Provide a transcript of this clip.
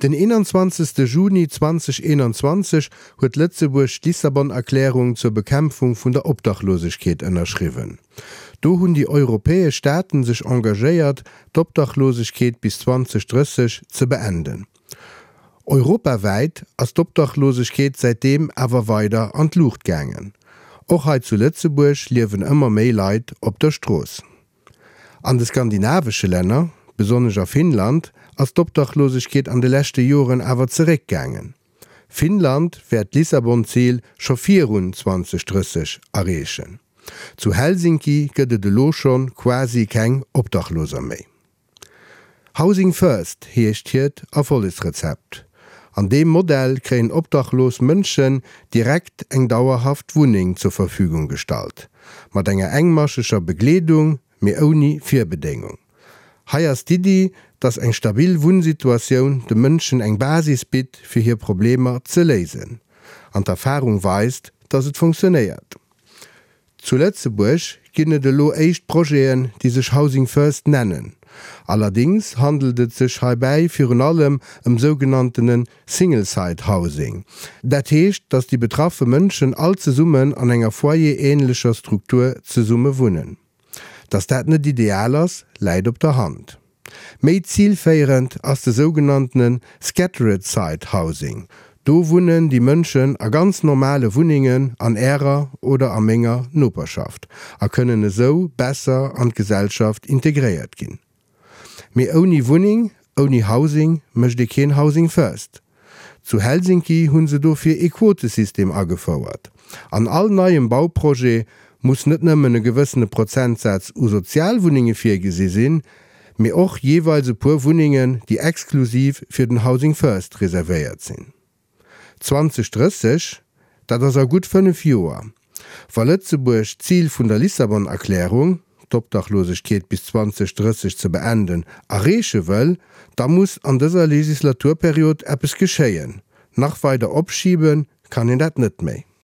Den 21. Juni 2021 huet Lëtzebuerg d'Lissabon-Erklärung zur Bekämpfung vun der Obdachlosegkeet ënnerschriwwen. Do hunn déi europäesch Staaten sech engagéiert, d'Obdachlosegkeet bis 2030 ze beenden. Europawäit ass d'Obdachlosegkeet säitdeem awer weider an d'Luucht gaangen. Och hei zu Lëtzebuerg liewen ëmmer méi Leit op der Strooss. An de skandinavesche Länner, besonnesch a Finnland, ass d'Obdachlosegkeet an de leschte Joren awer zeréckgaangen. Finnland wäert d'Lissabon-Zil scho virun 2030 erreechen. Zu Helsinki gëtt et elo scho quasi keng Obdachloser méi. Housing First heescht hiert Erfollegsrezept. An deem Modell kréien obdachlos Mënschen direkt eng dauerhaft Wunneng zur Verfügung gestallt, mat enger engmascheger Begleedung, mee ouni Virbedéngung. Hei ass d'Iddi, dass eng stabil Wunnsituatioun de Mënschen eng Basis bitt, fir hir Problemer ze léisen. An d'Erfarung weist, dass et funktionéiert. Zu Lëtzebuerg ginn et elo éischt Projeten, déi sech Housing First nennen. Allerdéngs handelt et sech heibäi virun allem ëm sougenanntene Single-Site Housing. Dat heescht, datt déi betraffe Mënschen all zesummen an enger foyer-änlecher Struktur zesumme wunnen. Datt dat net ideal ass, läit op der Hand. Méi zilféierend ass de sougenanntene Scattered Site Housing. Do wunnen déi Mënschen a ganz normale Wunnengen an Ärer oder a menger Noperschaft a kënnen esou besser an d'Gesellschaft integréiert ginn. Mee ouni Wunneng, ouni Housing mécht ee keen Housing First. Zu Helsinki hu se dofir ee Quotesystem agefouert. An all neiem Bauprojet muss net nëmmen e gewëssene Prozentsaz u Sozialwunnenge virgesi sinn, mee och jeeweils e puer Wunnengen, déi exklusiv fir den Housing First reservéiert sinn. 2030, dat ass a gutt 5 Joer. Wa Lëtzebuerg d'Zil vun der Lissabon-Erklärung, d'Obdachlosegkeet bis 2030 ze beenden, erreeche wëll, da muss an dëser Legislaturperiod eppes geschéien. Nach weider opschibe kann een dat net méi.